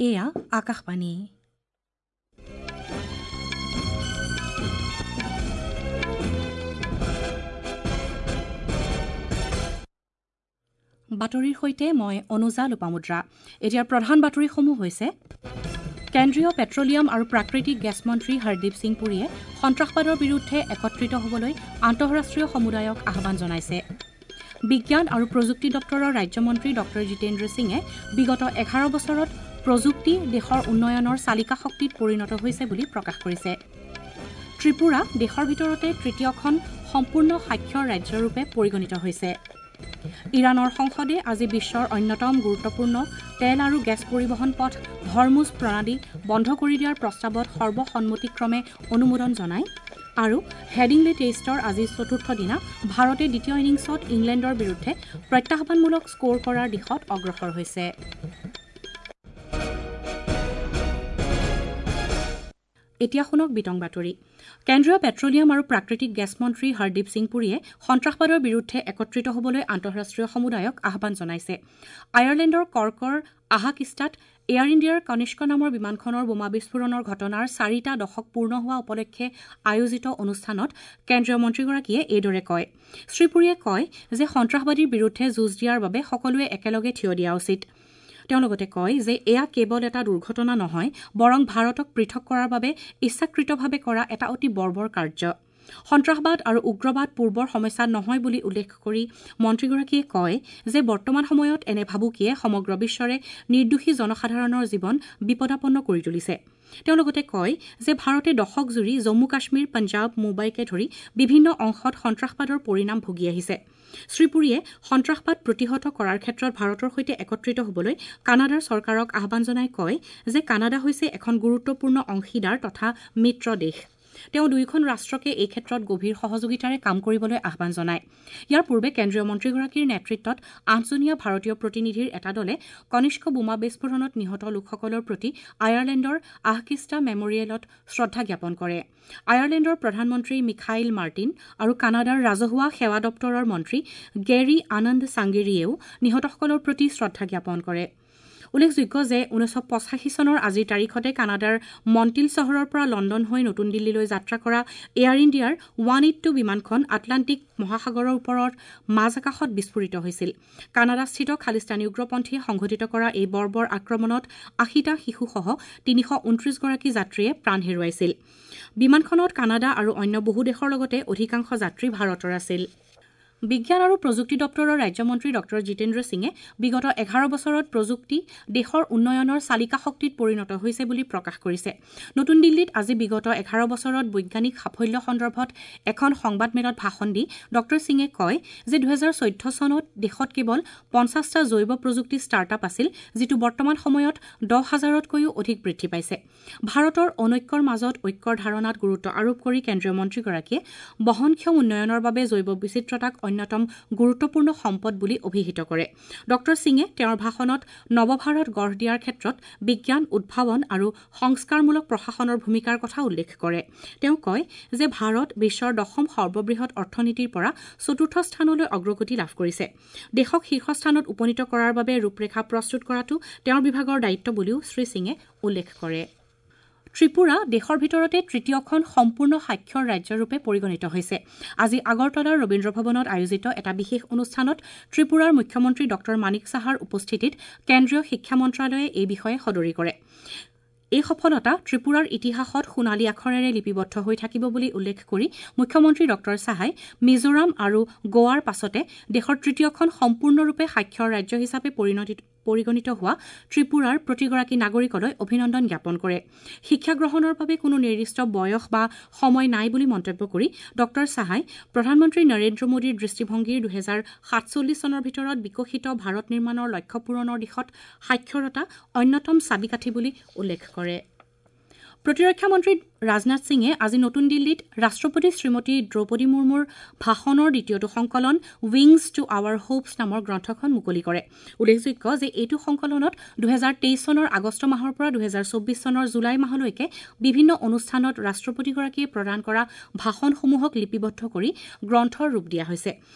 এয়া আকাশবাণী। বাতৰিৰ সৈতে মই অনুজা লোপামুদ্ৰা। এতিয়াৰ প্ৰধান বাতৰিসমূহ হৈছে: কেন্দ্ৰীয় পেট্ৰলিয়াম আৰু প্ৰাকৃতিক গেছ মন্ত্ৰী হৰদীপ সিং পুৰীয়ে সন্ত্ৰাসবাদৰ বিৰুদ্ধে একত্ৰিত হ'বলৈ আন্তঃৰাষ্ট্ৰীয় সমুদায়ক আহ্বান জনাইছে। বিজ্ঞান আৰু প্ৰযুক্তি দপ্তৰৰ ৰাজ্যমন্ত্ৰী ডঃ জিতেন্দ্ৰ সিঙে বিগত ১১ বছৰত প্ৰযুক্তি দেশৰ উন্নয়নৰ চালিকা শক্তিত পৰিণত হৈছে বুলি প্ৰকাশ কৰিছে। ত্ৰিপুৰা দেশৰ ভিতৰতে তৃতীয়খন সম্পূৰ্ণ সাক্ষৰ ৰাজ্যৰূপে পৰিগণিত হৈছে। ইৰাণৰ সংসদে আজি বিশ্বৰ অন্যতম গুৰুত্বপূৰ্ণ তেল আৰু গেছ পৰিবহণ পথ হৰমুজ প্ৰণালী বন্ধ কৰি দিয়াৰ প্ৰস্তাৱত সৰ্বসন্মতিক্ৰমে অনুমোদন জনায়। আৰু হেডিংলে টেষ্টৰ আজি চতুৰ্থ দিনা ভাৰতে দ্বিতীয় ইনিংছত ইংলেণ্ডৰ বিৰুদ্ধে প্ৰত্যাহ্বানমূলক স্ক'ৰ কৰাৰ দিশত অগ্ৰসৰ হৈছে। এতিয়া শুনক বিতং বাতৰি। কেন্দ্ৰীয় পেট্ৰলিয়াম আৰু প্ৰাকৃতিক গেছ মন্ত্ৰী হৰদীপ সিং পুৰীয়ে সন্ত্ৰাসবাদৰ বিৰুদ্ধে একত্ৰিত হ'বলৈ আন্তঃৰাষ্ট্ৰীয় সমুদায়ক আহ্বান জনাইছে। আয়াৰলেণ্ডৰ কৰ্কৰ আহাকিষ্টাত এয়াৰ ইণ্ডিয়াৰ কনিষ্ক নামৰ বিমানখনৰ বোমা বিস্ফোৰণৰ ঘটনাৰ ৪টা দশক পূৰ্ণ হোৱা উপলক্ষে আয়োজিত অনুষ্ঠানত কেন্দ্ৰীয় মন্ত্ৰীগৰাকীয়ে এইদৰে কয়। শ্ৰীপুৰীয়ে কয় যে সন্ত্ৰাসবাদীৰ বিৰুদ্ধে যুঁজ দিয়াৰ বাবে সকলোৱে একেলগে থিয় দিয়া উচিত। তেওঁ লগতে কয় যে এয়া কেৱল এটা দুৰ্ঘটনা নহয়, বৰং ভাৰতক পৃথক কৰাৰ বাবে ইচ্ছাকৃতভাৱে কৰা এটা অতি বৰ্বৰ কাৰ্য। সন্ত্ৰাসবাদ আৰু উগ্ৰবাদ পূৰ্বৰ সমস্যা নহয় বুলি উল্লেখ কৰি মন্ত্ৰীগৰাকীয়ে কয় যে বৰ্তমান সময়ত এনে ভাবুকিয়ে সমগ্ৰ বিশ্বৰে নিৰ্দোষী জনসাধাৰণৰ জীৱন বিপদাপন্ন কৰি তুলিছে। তেওঁ লগতে কয় যে ভাৰতে দশকজুৰি জম্মু কাশ্মীৰ, পঞ্জাৱ, মুম্বাইকে ধৰি বিভিন্ন অংশত সন্ত্ৰাসবাদৰ পৰিণাম ভুগি আহিছে। শ্ৰীপুৰীয়ে সন্ত্ৰাসবাদ প্ৰতিহত কৰাৰ ক্ষেত্ৰত ভাৰতৰ সৈতে একত্ৰিত হ'বলৈ কানাডাৰ চৰকাৰক আহ্বান জনাই কয় যে কানাডা হৈছে এখন গুৰুত্বপূৰ্ণ অংশীদাৰ তথা মিত্ৰ দেশ। তেওঁ দুয়োখন ৰাষ্ট্ৰকে এই ক্ষেত্ৰত গভীৰ সহযোগিতাৰে কাম কৰিবলৈ আহ্বান জনায়। ইয়াৰ পূৰ্বে কেন্দ্ৰীয় মন্ত্ৰীগৰাকীৰ নেতৃত্বত ৮জনীয়া ভাৰতীয় প্ৰতিনিধিৰ এটা দলে কনিষ্ক বোমা বিস্ফোৰণত নিহত লোকসকলৰ প্ৰতি আয়াৰলেণ্ডৰ আহকিষ্টা মেমৰিয়েলত শ্ৰদ্ধা জ্ঞাপন কৰে। আয়াৰলেণ্ডৰ প্ৰধানমন্ত্ৰী মিখাইল মাৰ্টিন আৰু কানাডাৰ ৰাজহুৱা সেৱা দপ্তৰৰ মন্ত্ৰী গেৰী আনন্দ চাংগেৰীয়েও নিহতসকলৰ প্ৰতি শ্ৰদ্ধা জ্ঞাপন কৰে। উল্লেখযোগ্য যে ১৯৮৫ চনৰ আজিৰ তাৰিখতে কানাডাৰ মণ্টিল চহৰৰ পৰা লণ্ডন হৈ নতুন দিল্লীলৈ যাত্ৰা কৰা এয়াৰ ইণ্ডিয়াৰ ১৮২ বিমানখন আটলাণ্টিক মহাসাগৰৰ ওপৰৰ মাজ আকাশত বিস্ফোৰিত হৈছিল। কানাডাস্থিত খালিস্তানী উগ্ৰপন্থীয়ে সংঘটিত কৰা এই বৰ্বৰ আক্ৰমণত ৮০টা শিশুসহ ৩২৯গৰাকী যাত্ৰীয়ে প্ৰাণ হেৰুৱাইছিল। বিমানখনত কানাডা আৰু অন্য বহু দেশৰ লগতে অধিকাংশ যাত্ৰী ভাৰতৰ আছিল। বিজ্ঞান আৰু প্ৰযুক্তি দপ্তৰৰ ৰাজ্যমন্ত্ৰী ডঃ জিতেন্দ্ৰ সিঙে বিগত ১১ বছৰত প্ৰযুক্তি দেশৰ উন্নয়নৰ চালিকা শক্তিত পৰিণত হৈছে বুলি প্ৰকাশ কৰিছে। নতুন দিল্লীত আজি বিগত ১১ বছৰত বৈজ্ঞানিক সাফল্য সন্দৰ্ভত এখন সংবাদমেলত ভাষণ দি ডঃ সিঙে কয় যে ২০১৪ চনত দেশত কেৱল ৫০টা জৈৱ প্ৰযুক্তি ষ্টাৰ্টআপ আছিল, যিটো বৰ্তমান সময়ত ১০ হাজাৰতকৈও অধিক বৃদ্ধি পাইছে। ভাৰতৰ অনৈক্যৰ মাজত ঐক্যৰ ধাৰণাত গুৰুত্ব আৰোপ কৰি কেন্দ্ৰীয় মন্ত্ৰীগৰাকীয়ে বহনক্ষম উন্নয়নৰ বাবে জৈৱ বিচিত্ৰতাক অন্যতম গুৰুত্বপূৰ্ণ সম্পদ বুলি অভিহিত কৰে। ডঃ সিঙে তেওঁৰ ভাষণত নৱভাৰত গঢ় দিয়াৰ ক্ষেত্ৰত বিজ্ঞান, উদ্ভাৱন আৰু সংস্কাৰমূলক প্ৰশাসনৰ ভূমিকাৰ কথা উল্লেখ কৰে। তেওঁ কয় যে ভাৰত বিশ্বৰ দশম সৰ্ববৃহৎ অৰ্থনীতিৰ পৰা চতুৰ্থ স্থানলৈ অগ্ৰগতি লাভ কৰিছে। দেশক শীৰ্ষস্থানত উপনীত কৰাৰ বাবে ৰূপৰেখা প্ৰস্তুত কৰাটো তেওঁৰ বিভাগৰ দায়িত্ব বুলিও শ্ৰীসিঙে উল্লেখ কৰে। ত্ৰিপুৰা দেশৰ ভিতৰতে তৃতীয়খন সম্পূৰ্ণ সাক্ষৰ ৰাজ্যৰূপে পৰিগণিত হৈছে। আজি আগৰতলাৰ ৰবীন্দ্ৰ ভৱনত আয়োজিত এটা বিশেষ অনুষ্ঠানত ত্ৰিপুৰাৰ মুখ্যমন্ত্ৰী ডঃ মানিক সাহাৰ উপস্থিতিত কেন্দ্ৰীয় শিক্ষা মন্ত্ৰালয়ে এই বিষয়ে সদৰি কৰে। এই সফলতা ত্ৰিপুৰাৰ ইতিহাসত সোণালী আখৰেৰে লিপিবদ্ধ হৈ থাকিব বুলি উল্লেখ কৰি মুখ্যমন্ত্ৰী ডঃ সাহাই মিজোৰাম আৰু গোৱাৰ পাছতে দেশৰ তৃতীয়খন সম্পূৰ্ণৰূপে সাক্ষৰ ৰাজ্য হিচাপে পৰিগণিত হোৱা ত্ৰিপুৰাৰ প্ৰতিগৰাকী নাগৰিকলৈ অভিনন্দন জ্ঞাপন কৰে। শিক্ষা গ্ৰহণৰ বাবে কোনো নিৰ্দিষ্ট বয়স বা সময় নাই বুলি মন্তব্য কৰি ডঃ সাহাই প্ৰধানমন্ত্ৰী নৰেন্দ্ৰ মোদীৰ দৃষ্টিভংগীৰ ২০৪৭ চনৰ ভিতৰত বিকশিত ভাৰত নিৰ্মাণৰ লক্ষ্য পূৰণৰ দিশত সাক্ষৰতা অন্যতম চাবিকাঠি বুলি উল্লেখ কৰে। প্ৰতিৰক্ষা মন্ত্ৰী ৰাজনাথ সিঙে আজি নতুন দিল্লীত ৰাষ্ট্ৰপতি শ্ৰীমতী দ্ৰৌপদী মুৰ্মুৰ ভাষণৰ দ্বিতীয়টো সংকলন উইংছ টু আৱাৰ হোপছ নামৰ গ্ৰন্থখন মুকলি কৰে। উল্লেখযোগ্য যে এইটো সংকলনত 2023 চনৰ আগষ্ট মাহৰ পৰা 2024 চনৰ জুলাই মাহলৈকে বিভিন্ন অনুষ্ঠানত ৰাষ্ট্ৰপতিগৰাকীয়ে প্ৰদান কৰা ভাষণসমূহক লিপিবদ্ধ কৰি গ্ৰন্থৰ ৰূপ দিয়া হৈছে।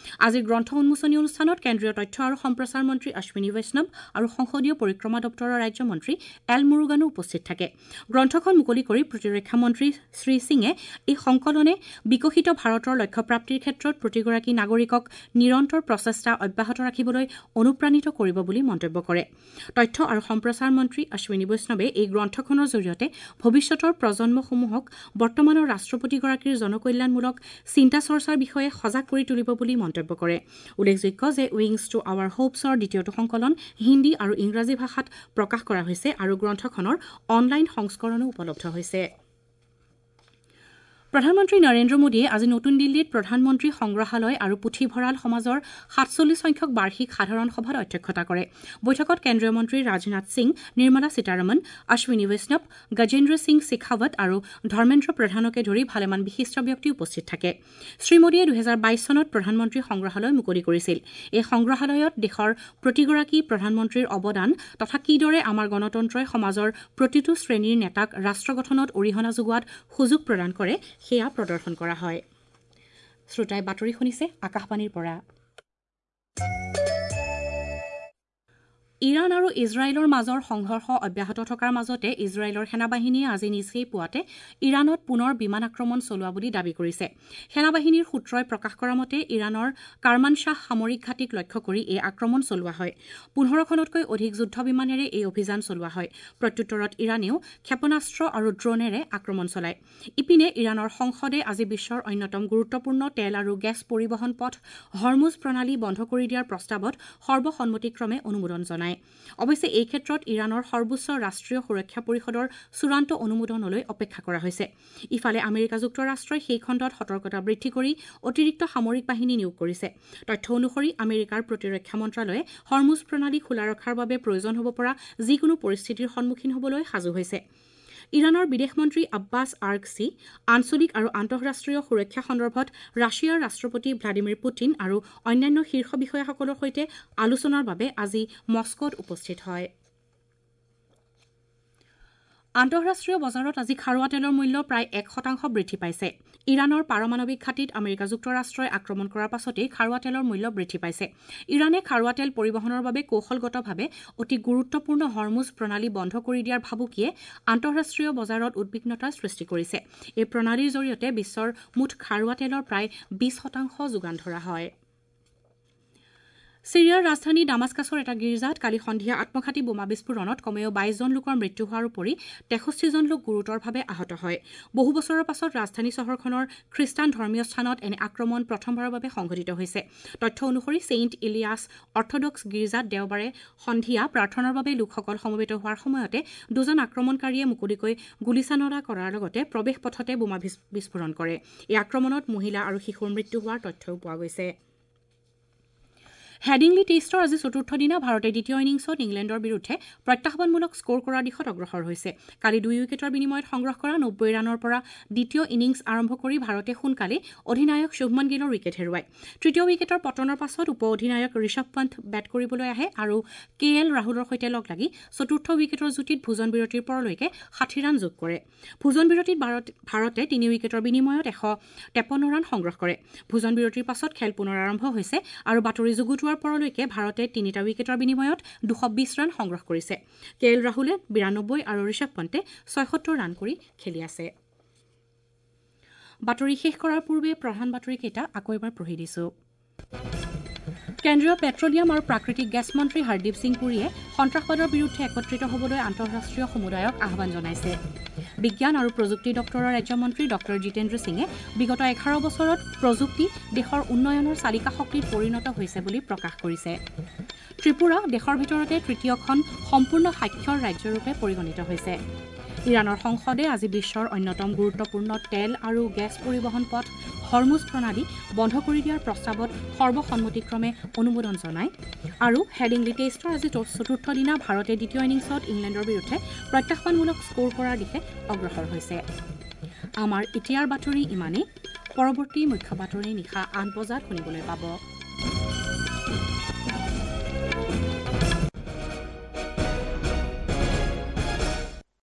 আজিৰ গ্ৰন্থ উন্মোচনী অনুষ্ঠানত কেন্দ্ৰীয় তথ্য আৰু সম্প্ৰচাৰ মন্ত্ৰী অশ্বিনী বৈষ্ণৱ আৰু সংসদীয় পৰিক্ৰমা দপ্তৰৰ ৰাজ্যমন্ত্ৰী এল মুৰুগানো উপস্থিত থাকে। গ্ৰন্থখন মুকলি কৰি প্ৰতিৰক্ষা মন্ত্ৰী শ্ৰী সিঙে এই সংকলনে বিকশিত ভাৰতৰ লক্ষ্যপ্ৰাপ্তিৰ ক্ষেত্ৰত প্ৰতিগৰাকী নাগৰিকক নিৰন্তৰ প্ৰচেষ্টা অব্যাহত ৰাখিবলৈ অনুপ্ৰাণিত কৰিব বুলি মন্তব্য কৰে। তথ্য আৰু সম্প্ৰচাৰ মন্ত্ৰী অশ্বিনী বৈষ্ণৱে এই গ্ৰন্থখনৰ জৰিয়তে ভৱিষ্যতৰ প্ৰজন্মসমূহক বৰ্তমানৰ ৰাষ্ট্ৰপতিগৰাকীৰ জনকল্যাণমূলক চিন্তা চৰ্চাৰ বিষয়ে সজাগ কৰি তুলিব বুলি মন্তব্য কৰে। উল্লেখযোগ্য যে উইংছ টু আৱাৰ হোপছৰ দ্বিতীয়টো সংকলন হিন্দী আৰু ইংৰাজী ভাষাত প্ৰকাশ কৰা হৈছে আৰু গ্ৰন্থখনৰ অনলাইন সংস্কৰণো উপলব্ধ হৈছে। প্ৰধানমন্ত্ৰী নৰেন্দ্ৰ মোদীয়ে আজি নতুন দিল্লীত প্ৰধানমন্ত্ৰী সংগ্ৰহালয় আৰু পুথিভঁৰাল সমাজৰ 47 সংখ্যক বাৰ্ষিক সাধাৰণ সভাত অধ্যক্ষতা কৰে। বৈঠকত কেন্দ্ৰীয় মন্ত্ৰী ৰাজনাথ সিং, নিৰ্মলা সীতাৰমণ, অশ্বিনী বৈষ্ণৱ, গজেন্দ্ৰ সিং শেখাৱত আৰু ধৰ্মেন্দ্ৰ প্ৰধানকে ধৰি ভালেমান বিশিষ্ট ব্যক্তি উপস্থিত থাকে। শ্ৰী মোদীয়ে 2022 চনত প্ৰধানমন্ত্ৰী সংগ্ৰহালয় মুকলি কৰিছিল। এই সংগ্ৰহালয়ত দেশৰ প্ৰতিগৰাকী প্ৰধানমন্ত্ৰীৰ অৱদান তথা কিদৰে আমাৰ গণতন্ত্ৰই সমাজৰ প্ৰতিটো শ্ৰেণীৰ নেতাক ৰাষ্ট্ৰ গঠনত অৰিহণা যোগোৱাত সুযোগ প্ৰদান কৰে সেয়া প্ৰদৰ্শন কৰা হয়। শ্ৰোতাই বাতৰি শুনিছে আকাশবাণীৰ পৰা। ইৰাণ আৰু ইজৰাইলৰ মাজৰ সংঘৰ্ষ অব্যাহত থকাৰ মাজতে ইজৰাইলৰ সেনাবাহিনীয়ে আজি নিচেই পুৱাতে ইৰাণত পুনৰ বিমান আক্ৰমণ চলোৱা বুলি দাবী কৰিছে। সেনাবাহিনীৰ সূত্ৰই প্ৰকাশ কৰা মতে ইৰাণৰ কাৰমানশ্বাহ সামৰিক ঘাটিক লক্ষ্য কৰি এই আক্ৰমণ চলোৱা হয়। 15খনতকৈ অধিক যুদ্ধ বিমানেৰে এই অভিযান চলোৱা হয়। প্ৰত্যুত্তৰত ইৰাণেও ক্ষেপণাস্ত্ৰ আৰু ড্ৰোনেৰে আক্ৰমণ চলায়। ইপিনে ইৰাণৰ সংসদে আজি বিশ্বৰ অন্যতম গুৰুত্বপূৰ্ণ তেল আৰু গেছ পৰিবহণ পথ হৰমুজ প্ৰণালী বন্ধ কৰি দিয়াৰ প্ৰস্তাৱত সৰ্বসন্মতিক্ৰমে অনুমোদন জনায়। অৱশ্যে এই ক্ষেত্ৰত ইৰাণৰ সৰ্বোচ্চ ৰাষ্ট্ৰীয় সুৰক্ষা পৰিষদৰ চূড়ান্ত অনুমোদনলৈ অপেক্ষা কৰা হৈছে। ইফালে আমেৰিকা যুক্তৰাষ্ট্ৰই সেই খণ্ডত সতৰ্কতা বৃদ্ধি কৰি অতিৰিক্ত সামৰিক বাহিনী নিয়োগ কৰিছে। তথ্য অনুসৰি আমেৰিকাৰ প্ৰতিৰক্ষা মন্ত্ৰালয়ে হৰমুজ প্ৰণালী খোলা ৰখাৰ বাবে প্ৰয়োজন হ'ব পৰা যিকোনো পৰিস্থিতিৰ সন্মুখীন হ'বলৈ সাজু হৈছে। ইৰাণৰ বিদেশ মন্ত্ৰী আব্বাছ আৰ্গচি আঞ্চলিক আৰু আন্তঃৰাষ্ট্ৰীয় সুৰক্ষা সন্দৰ্ভত ৰাছিয়াৰ ৰাষ্ট্ৰপতি ভ্লাদিমিৰ পুটিন আৰু অন্যান্য শীৰ্ষ বিষয়াসকলৰ সৈতে আলোচনাৰ বাবে আজি মস্কোত উপস্থিত হয়। আন্তঃৰাষ্ট্ৰীয় বজাৰত আজি খাৰুৱা তেলৰ মূল্য প্ৰায় 1% বৃদ্ধি পাইছে। ইৰাণৰ পাৰমাণৱিক ঘাটিত আমেৰিকা যুক্তৰাষ্ট্ৰই আক্ৰমণ কৰাৰ পাছতেই খাৰুৱা তেলৰ মূল্য বৃদ্ধি পাইছে। ইৰাণে খাৰুৱা তেল পৰিবহণৰ বাবে কৌশলগতভাৱে অতি গুৰুত্বপূৰ্ণ হৰমুজ প্ৰণালী বন্ধ কৰি দিয়াৰ ভাবুকিয়ে আন্তঃৰাষ্ট্ৰীয় বজাৰত উদ্বিগ্নতাৰ সৃষ্টি কৰিছে। এই প্ৰণালীৰ জৰিয়তে বিশ্বৰ মুঠ খাৰুৱা তেলৰ প্ৰায় 20% যোগান ধৰা হয়। ছিৰিয়াৰ ৰাজধানী ডামাস্কাছৰ এটা গীৰ্জাত কালি সন্ধিয়া আত্মঘাতী বোমা বিস্ফোৰণত কমেও 22 জন লোকৰ মৃত্যু হোৱাৰ উপৰি 63 জন লোক গুৰুতৰভাৱে আহত হয়। বহু বছৰৰ পাছত ৰাজধানী চহৰখনৰ খ্ৰীষ্টান ধৰ্মীয় স্থানত এনে আক্ৰমণ প্ৰথমবাৰৰ বাবে সংঘটিত হৈছে। তথ্য অনুসৰি ছেইণ্ট ইলিয়াছ অৰ্থডক্স গীৰ্জাত দেওবাৰে সন্ধিয়া প্ৰাৰ্থনাৰ বাবে লোকসকল সমবেত হোৱাৰ সময়তে দুজন আক্ৰমণকাৰীয়ে মুকলিকৈ গুলীচালনা কৰাৰ লগতে প্ৰৱেশ পথতে বোমা বিস্ফোৰণ কৰে। এই আক্ৰমণত মহিলা আৰু শিশুৰ মৃত্যু হোৱাৰ তথ্যও পোৱা গৈছে। হেডিংলি টেষ্টৰ আজি চতুৰ্থ দিনা ভাৰতে দ্বিতীয় ইনিংছত ইংলেণ্ডৰ বিৰুদ্ধে প্ৰত্যাহ্বানমূলক স্ক'ৰ কৰাৰ দিশত অগ্ৰসৰ হৈছে। কালি 2 উইকেটৰ বিনিময়ত সংগ্ৰহ কৰা 90 ৰানৰ পৰা দ্বিতীয় ইনিংছ আৰম্ভ কৰি ভাৰতে সোনকালেই অধিনায়ক শুভমন গিলৰ উইকেট হেৰুৱায়। তৃতীয় উইকেটৰ পতনৰ পাছত উপ অধিনায়ক ঋষভ পন্থ বেট কৰিবলৈ আহে আৰু কে এল ৰাহুলৰ সৈতে লগ লাগি চতুৰ্থ উইকেটৰ যুটিত ভোজন বিৰতিৰ পৰলৈকে 60 ৰান যোগ কৰে। ভোজন বিৰতিত ভাৰতে 3 উইকেটৰ বিনিময়ত 153 ৰান সংগ্ৰহ কৰে। ভোজন বিৰতিৰ পাছত খেল পুনৰ আৰম্ভ হৈছে আৰু বাতৰি যুগুতোৱাৰ পৰলৈকে ভাৰতে 3টা উইকেটৰ বিনিময়ত 220 ৰান সংগ্ৰহ কৰিছে। কে এল ৰাহুলে 92 আৰু ঋষভ পন্তে 76 ৰান কৰি খেলি আছে। বাতৰি শেষ কৰাৰ পূৰ্বে প্ৰধান বাতৰিকেইটা আকৌ এবাৰ পঢ়ি দিছো। কেন্দ্ৰীয় পেট্ৰলিয়াম আৰু প্ৰাকৃতিক গেছ মন্ত্ৰী হৰদীপ সিং পুৰীয়ে সন্ত্ৰাসবাদৰ বিৰুদ্ধে একত্ৰিত হ'বলৈ আন্তঃৰাষ্ট্ৰীয় সমুদায়ক আহ্বান জনাইছে। বিজ্ঞান আৰু প্ৰযুক্তি দপ্তৰৰ ৰাজ্যমন্ত্ৰী ডঃ জিতেন্দ্ৰ সিঙে বিগত 11 বছৰত প্ৰযুক্তি দেশৰ উন্নয়নৰ চালিকা শক্তিত পৰিণত হৈছে বুলি প্ৰকাশ কৰিছে। ত্ৰিপুৰা দেশৰ ভিতৰতে তৃতীয়খন সম্পূৰ্ণ সাক্ষৰ ৰাজ্যৰূপে পৰিগণিত হৈছে। ইৰাণৰ সংসদে আজি বিশ্বৰ অন্যতম গুৰুত্বপূৰ্ণ তেল আৰু গেছ পৰিবহণ পথ হৰমুজ প্ৰণালী বন্ধ কৰি দিয়াৰ প্ৰস্তাৱত সৰ্বসন্মতিক্ৰমে অনুমোদন জনায়। আৰু হেডিংলি টেষ্টৰ আজি চতুৰ্থ দিনা ভাৰতে দ্বিতীয় ইনিংছত ইংলেণ্ডৰ বিৰুদ্ধে প্ৰত্যাহ্বানমূলক স্ক'ৰ কৰাৰ দিশে অগ্ৰসৰ হৈছে। আমাৰ এতিয়াৰ বাতৰি ইমানেই। পৰৱৰ্তী মুখ্য বাতৰি নিশা ৮ বজাত শুনিবলৈ পাব।